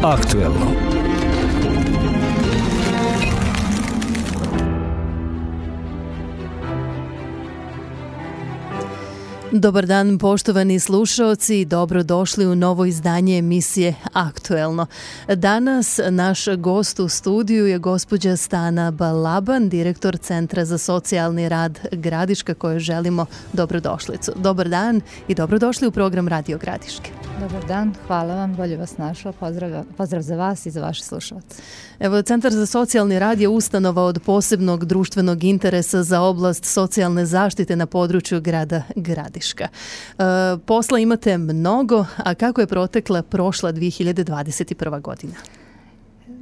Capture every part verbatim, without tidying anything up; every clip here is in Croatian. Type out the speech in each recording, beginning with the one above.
Aktuelno. Dobar dan, poštovani slušaoci, dobrodošli u novo izdanje emisije Aktuelno. Danas naš gost u studiju je gospođa Stana Balaban, direktor Centra za socijalni rad Gradiška, kojoj želimo dobrodošlicu. Dobar dan i dobrodošli u program Radio Gradiške. Dobar dan, hvala vam, bolje vas našao, pozdrav, pozdrav za vas i za vaše slušalce. Evo, Centar za socijalni rad je ustanova od posebnog društvenog interesa za oblast socijalne zaštite na području grada Gradiška. E, posla imate mnogo, a kako je protekla prošla dvije hiljade dvadeset prva godina?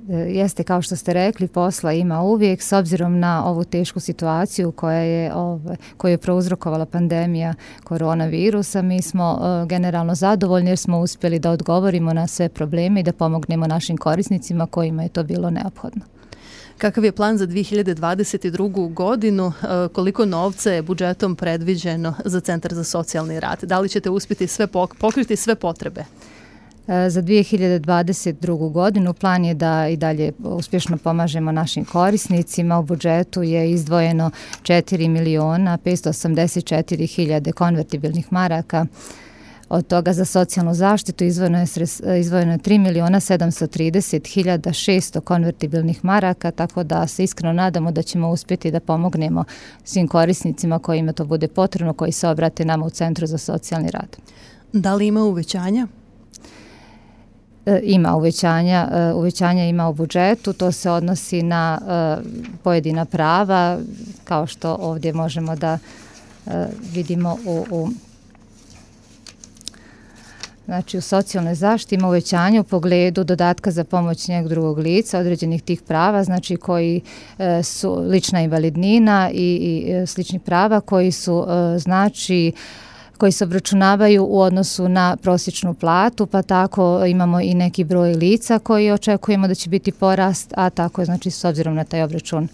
Jeste, kao što ste rekli, posla ima uvijek, s obzirom na ovu tešku situaciju koja je, ove, koju je prouzrokovala pandemija koronavirusa. Mi smo e, generalno zadovoljni jer smo uspjeli da odgovorimo na sve probleme i da pomognemo našim korisnicima kojima je to bilo neophodno. Kakav je plan za dvije hiljade dvadeset drugu godinu? Koliko novca je budžetom predviđeno za Centar za socijalni rad? Da li ćete uspjeti sve pokriti sve potrebe? Za dvije hiljade dvadeset drugu godinu plan je da i dalje uspješno pomažemo našim korisnicima. U budžetu je izdvojeno četiri miliona petsto osamdeset četiri hiljade konvertibilnih maraka. Od toga za socijalnu zaštitu izdvojeno je, izdvojeno je tri miliona sedamsto trideset hiljada šesto konvertibilnih maraka, tako da se iskreno nadamo da ćemo uspjeti da pomognemo svim korisnicima kojima to bude potrebno, koji se obrate nama u Centru za socijalni rad. Da li ima uvećanja? Ima uvećanja, uvećanja ima u budžetu, to se odnosi na pojedina prava, kao što ovdje možemo da vidimo u, u Znači, u socijalnoj zaštiti ima uvećanje u pogledu dodatka za pomoć njeg drugog lica, određenih tih prava, znači koji e, su lična invalidnina i, i slični prava koji su, e, znači, koji se obračunavaju u odnosu na prosječnu platu, pa tako imamo i neki broj lica koji očekujemo da će biti porast, a tako je, znači, s obzirom na taj obračun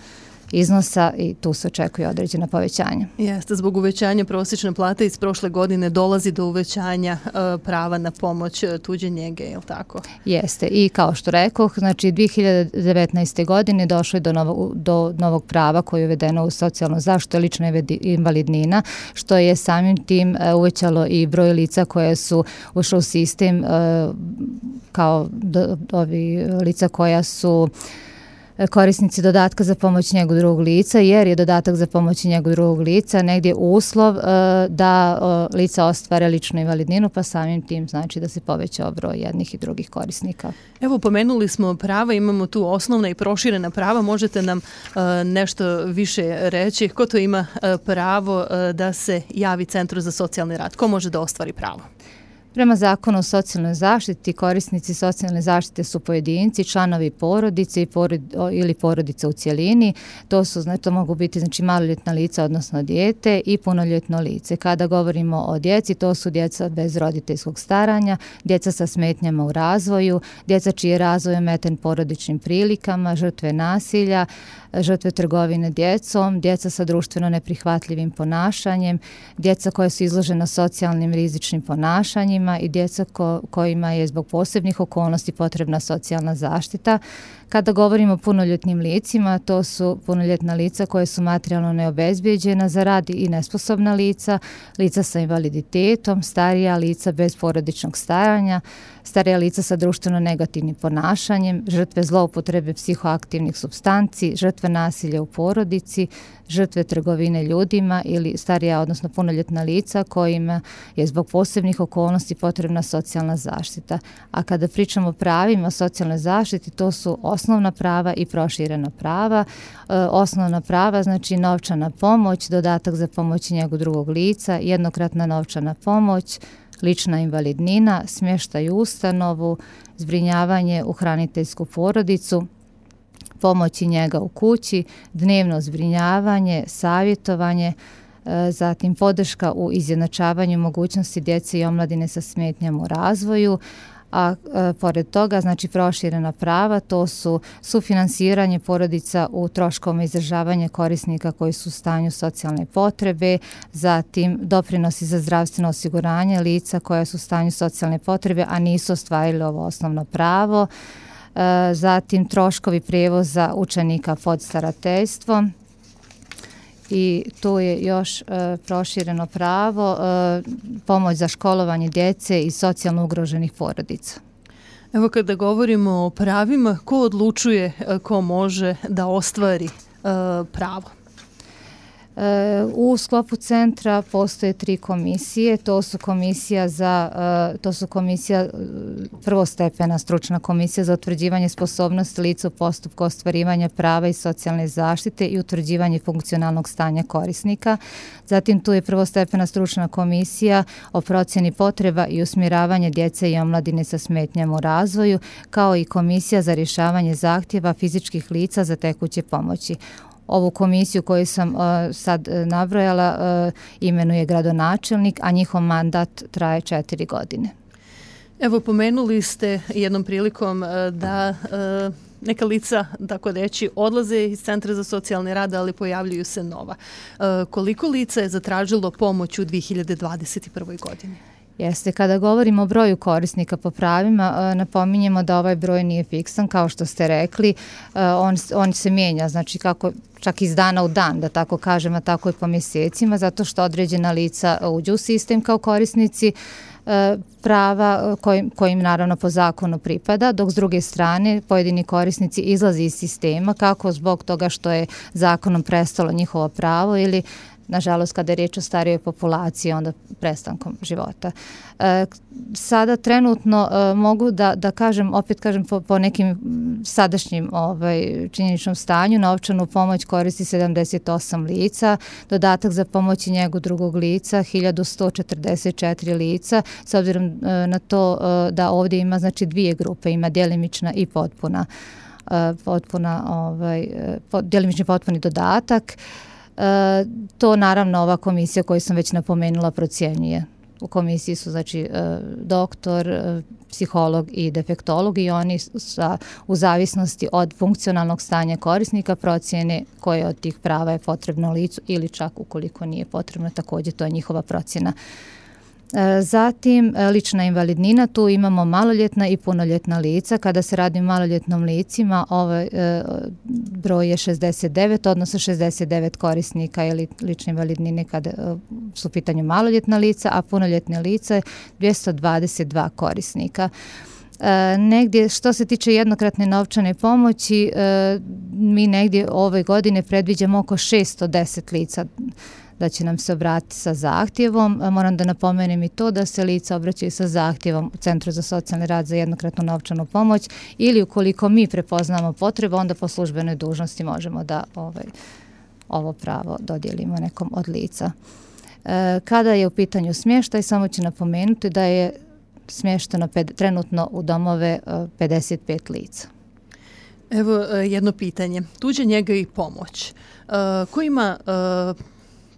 iznosa i tu se očekuje određena povećanja. Jeste, zbog uvećanja prosječne plate iz prošle godine dolazi do uvećanja e, prava na pomoć tuđe njege, je li tako? Jeste, i kao što rekoh, znači dvije hiljade devetnaeste. godine došlo je do novog, do novog prava koje je uvedeno u socijalnu zaštitu, lična invalidnina, što je samim tim e, uvećalo i broj lica koje su ušle u sistem e, kao do, ovi lica koja su korisnici dodatka za pomoć njegu drugog lica, jer je dodatak za pomoć njegu drugog lica negdje uslov e, da e, lica ostvare ličnu invalidninu, pa samim tim znači da se poveća broj jednih i drugih korisnika. Evo, pomenuli smo prava, imamo tu osnovna i proširena prava, možete nam e, nešto više reći? Ko to ima e, pravo e, da se javi Centru za socijalni rad? Ko može da ostvari pravo? Prema zakonu o socijalnoj zaštiti, korisnici socijalne zaštite su pojedinci, članovi porodice i porod, ili porodice u cjelini. To su, znači, to mogu biti, znači, maloljetna lica, odnosno dijete, i punoljetno lice. Kada govorimo o djeci, to su djeca bez roditeljskog staranja, djeca sa smetnjama u razvoju, djeca čiji je razvoj ometen porodičnim prilikama, žrtve nasilja, žrtve trgovine djecom, djeca sa društveno neprihvatljivim ponašanjem, djeca koja su izložena socijalnim rizičnim ponašanjima i djeca ko, kojima je zbog posebnih okolnosti potrebna socijalna zaštita. Kada govorimo o punoljetnim licima, to su punoljetna lica koje su materijalno neobezbijeđena za rad i nesposobna lica, lica sa invaliditetom, starija lica bez porodičnog staranja, starija lica sa društveno negativnim ponašanjem, žrtve zloupotrebe psihoaktivnih supstanci, žrtve nasilja u porodici, žrtve trgovine ljudima ili starija, odnosno punoljetna lica kojima je zbog posebnih okolnosti potrebna socijalna zaštita. A kada pričamo o pravima socijalne zaštite, to su osnovna prava i proširena prava. E, osnovna prava, znači novčana pomoć, dodatak za pomoć njegu drugog lica, jednokratna novčana pomoć, lična invalidnina, smještaj u ustanovu, zbrinjavanje u hraniteljsku porodicu, pomoći njega u kući, dnevno zbrinjavanje, savjetovanje, zatim podrška u izjednačavanju mogućnosti djece i omladine sa smetnjama u razvoju, a e, pored toga znači proširena prava, to su sufinansiranje porodica u troškovima izdržavanja korisnika koji su u stanju socijalne potrebe, zatim doprinosi za zdravstveno osiguranje lica koja su u stanju socijalne potrebe, a nisu ostvarili ovo osnovno pravo, e, zatim troškovi prijevoza učenika pod starateljstvom, i tu je još e, prošireno pravo, e, pomoć za školovanje djece i socijalno ugroženih porodica. Evo kada govorimo o pravima, ko odlučuje ko može da ostvari e, pravo? U sklopu centra postoje tri komisije, to su komisija za, to su komisija prvostepena stručna komisija za utvrđivanje sposobnosti lica u postupku ostvarivanja prava i socijalne zaštite i utvrđivanje funkcionalnog stanja korisnika. Zatim tu je prvostepena stručna komisija o procjeni potreba i usmjeravanje djece i omladine sa smetnjama u razvoju, kao i komisija za rješavanje zahtjeva fizičkih lica za tekuće pomoći. Ovu komisiju koju sam uh, sad uh, nabrojala uh, imenuje gradonačelnik, a njihov mandat traje četiri godine. Evo, pomenuli ste jednom prilikom uh, da uh, neka lica, tako reći, odlaze iz Centra za socijalni rad, ali pojavljuju se nova. Uh, koliko lica je zatražilo pomoć u dvije hiljade dvadeset prvoj. godini? Jeste, kada govorimo o broju korisnika po pravima, napominjemo da ovaj broj nije fiksan, kao što ste rekli, on, on se mijenja, znači kako čak iz dana u dan, da tako kažem, a tako i po mjesecima, zato što određena lica uđu u sistem kao korisnici prava kojim, kojim naravno po zakonu pripada, dok s druge strane pojedini korisnici izlaze iz sistema, kako zbog toga što je zakonom prestalo njihovo pravo ili nažalost, kada je riječ o starijoj populaciji, onda prestankom života. E, sada trenutno e, mogu da, da kažem, opet kažem po, po nekim sadašnjim ovaj, činjeničnom stanju, novčanu pomoć koristi sedamdeset osam lica, dodatak za pomoć i njegu drugog lica, hiljadu sto četrdeset četiri lica, s obzirom e, na to e, da ovdje ima znači dvije grupe, ima djelimična i potpuna, e, potpuna ovaj, po, djelimični potpuni dodatak. E, to naravno ova komisija koju sam već napomenula procjenjuje. U komisiji su znači e, doktor, e, psiholog i defektolog i oni sa, u zavisnosti od funkcionalnog stanja korisnika procjene koje od tih prava je potrebno licu ili čak ukoliko nije potrebno, također to je njihova procjena. Zatim lična invalidnina, tu imamo maloljetna i punoljetna lica. Kada se radi o maloljetnom licima, ovaj e, broj je šezdeset devet, odnosno šezdeset devet korisnika ili lične invalidnine kada e, su u pitanju maloljetna lica, a punoljetne lica je dvjesto dvadeset dva korisnika. E, negdje što se tiče jednokratne novčane pomoći, e, mi negdje ove godine predviđamo oko šesto deset lica da će nam se obratiti sa zahtjevom. Moram da napomenem i to da se lica obraćaju sa zahtjevom u Centru za socijalni rad za jednokratnu novčanu pomoć ili ukoliko mi prepoznamo potrebu, onda po službenoj dužnosti možemo da ovaj, ovo pravo dodijelimo nekom od lica. E, kada je u pitanju smještaj, samo ću napomenuti da je smješteno ped, trenutno u domove pedeset pet lica. Evo jedno pitanje. Tuđa njega i pomoć. E, ko ima e,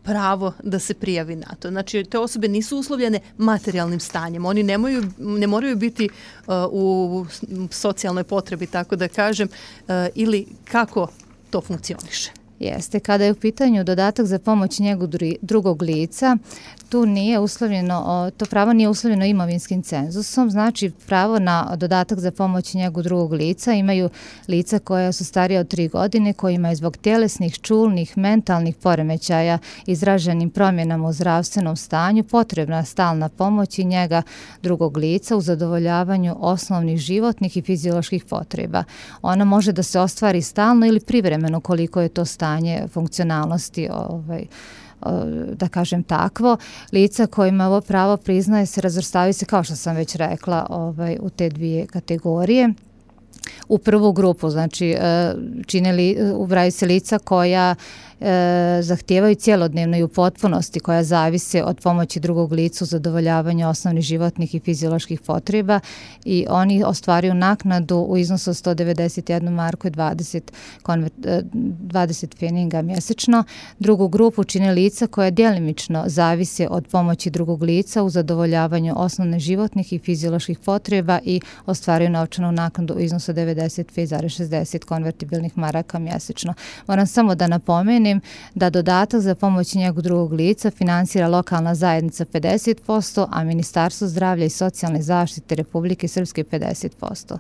pravo da se prijavi na to? Znači, te osobe nisu uslovljene materijalnim stanjem. Oni nemaju, ne moraju biti uh, u socijalnoj potrebi, tako da kažem, uh, ili kako to funkcioniše? Jeste, kada je u pitanju dodatak za pomoć njegu drugog lica, tu nije uslovljeno, to pravo nije uslovljeno imovinskim cenzusom, znači pravo na dodatak za pomoć njegu drugog lica imaju lica koja su starija od tri godine, koji imaju zbog tjelesnih, čulnih, mentalnih poremećaja izraženim promjenama u zdravstvenom stanju potrebna stalna pomoć i njega drugog lica u zadovoljavanju osnovnih životnih i fizioloških potreba. Ona može da se ostvari stalno ili privremeno koliko je to stanje funkcionalnosti ovaj, da kažem takvo. Lica kojima ovo pravo priznaje se razvrstavaju se, kao što sam već rekla, ovaj, u te dvije kategorije. U prvu grupu, znači čine li, ubraju se lica koja e, zahtijevaju cjelodnevno i u potpunosti, koja zavise od pomoći drugog lica u zadovoljavanju osnovnih životnih i fizioloških potreba i oni ostvaruju naknadu u iznosu od sto devedeset jednu marku i dvadeset, konvert, dvadeset pfeninga mjesečno. Drugu grupu čine lica koja djelimično zavise od pomoći drugog lica u zadovoljavanju osnovnih životnih i fizioloških potreba i ostvaruju novčanu naknadu u iznosu od devedeset pet zarez šezdeset konvertibilnih maraka mjesečno. Moram samo da napomenem da dodatak za pomoć njegu drugog lica finansira lokalna zajednica pedeset posto, a Ministarstvo zdravlja i socijalne zaštite Republike Srpske pedeset posto.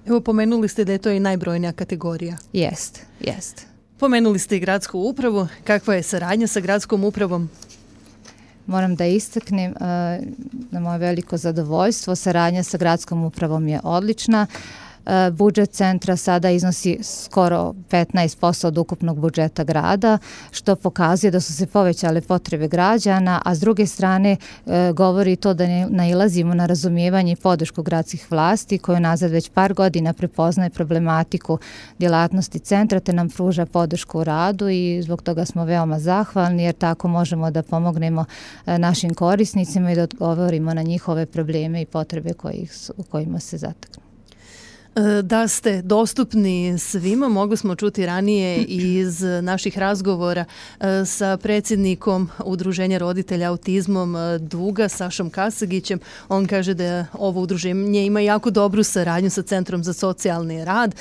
Evo, pomenuli ste da je to i najbrojnija kategorija. Jest, jest. Pomenuli ste i gradsku upravu. Kakva je saradnja sa gradskom upravom? Moram da istaknem uh, na moje veliko zadovoljstvo. Saradnja sa gradskom upravom je odlična. Budžet centra sada iznosi skoro petnaest posto od ukupnog budžeta grada, što pokazuje da su se povećale potrebe građana, a s druge strane e, govori to da ne nailazimo na razumijevanje i podršku gradskih vlasti koju nazad već par godina prepoznaje problematiku djelatnosti centra te nam pruža podršku u radu i zbog toga smo veoma zahvalni jer tako možemo da pomognemo e, našim korisnicima i da odgovorimo na njihove probleme i potrebe kojih, u kojima se zateknu. Da ste dostupni svima, mogli smo čuti ranije iz naših razgovora sa predsjednikom Udruženja roditelja autizmom Duga, Sašom Kasagićem. On kaže da ovo udruženje ima jako dobru saradnju sa Centrom za socijalni rad,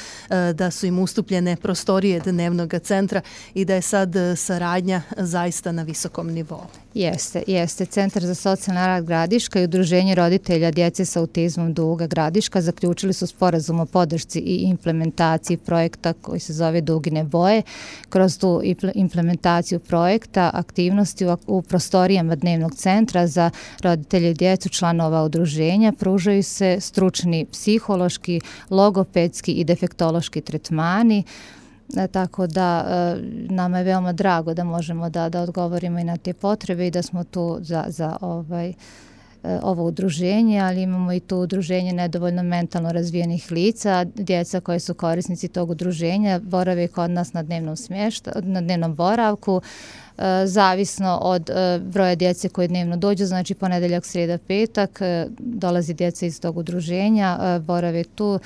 da su im ustupljene prostorije dnevnog centra i da je sad saradnja zaista na visokom nivou. Jeste, jeste. Centar za socijalni rad Gradiška i Udruženje roditelja djece sa autizmom Duga Gradiška zaključili su sporazum o podršci i implementaciji projekta koji se zove Dugine boje. Kroz tu implementaciju projekta aktivnosti u, u prostorijama dnevnog centra za roditelje i djecu članova udruženja pružaju se stručni psihološki, logopedski i defektološki tretmani. E, tako da e, nama je veoma drago da možemo da, da odgovorimo i na te potrebe i da smo tu za, za ovaj, e, ovo udruženje, ali imamo i tu udruženje nedovoljno mentalno razvijenih lica, djeca koje su korisnici tog udruženja borave kod nas na dnevnom smješta, na dnevnom boravku, e, zavisno od e, broja djece koje dnevno dođu, znači ponedeljak, srijeda, petak, e, dolazi djeca iz tog udruženja, e, borave tu,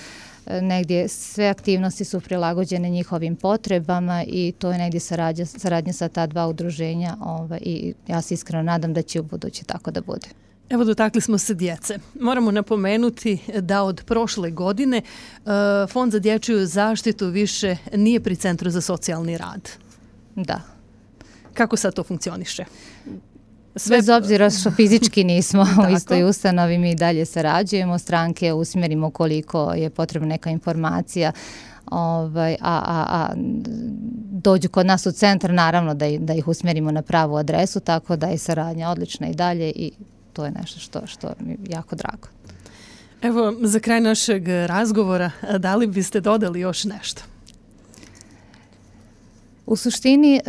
negdje sve aktivnosti su prilagođene njihovim potrebama i to je negdje saradnja, saradnja sa ta dva udruženja ovaj, i ja se iskreno nadam da će u budući tako da bude. Evo, dotakli smo se djece. Moramo napomenuti da od prošle godine uh, Fond za dječju zaštitu više nije pri Centru za socijalni rad. Da. Kako sad to funkcioniše? Sve... Bez obzira što fizički nismo u istoj ustanovi, mi dalje sarađujemo, stranke usmjerimo koliko je potrebna neka informacija, ovaj, a, a, a dođu kod nas u centar, naravno da, da ih usmjerimo na pravu adresu, tako da je saradnja odlična i dalje i to je nešto što, što mi je jako drago. Evo, za kraj našeg razgovora, da li biste dodali još nešto? U suštini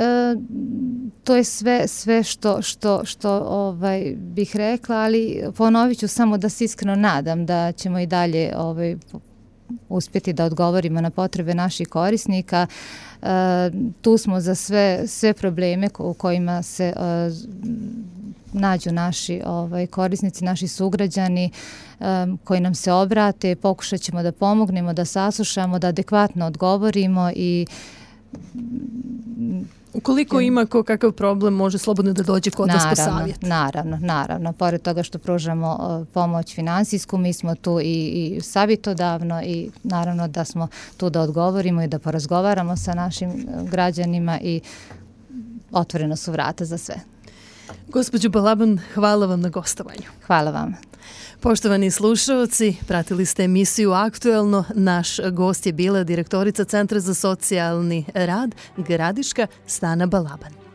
to je sve sve što što što ovaj bih rekla, ali ponovit ću samo da se iskreno nadam da ćemo i dalje ovaj uspjeti da odgovorimo na potrebe naših korisnika. E, tu smo za sve sve probleme u kojima se e, nađu naši ovaj korisnici, naši sugrađani e, koji nam se obrate, pokušat ćemo da pomognemo, da saslušamo, da adekvatno odgovorimo i ukoliko ima ko kakav problem, može slobodno da dođe kod nas po savjet. Naravno, naravno. Pored toga što pružamo uh, pomoć finansijsku, mi smo tu i, i savjetodavno i naravno da smo tu da odgovorimo i da porazgovaramo sa našim građanima i otvoreno su vrata za sve. Gospođo Balaban, hvala vam na gostovanju. Hvala vam. Poštovani slušalci, pratili ste emisiju Aktuelno. Naš gost je bila direktorica Centra za socijalni rad Gradiška Stana Balaban.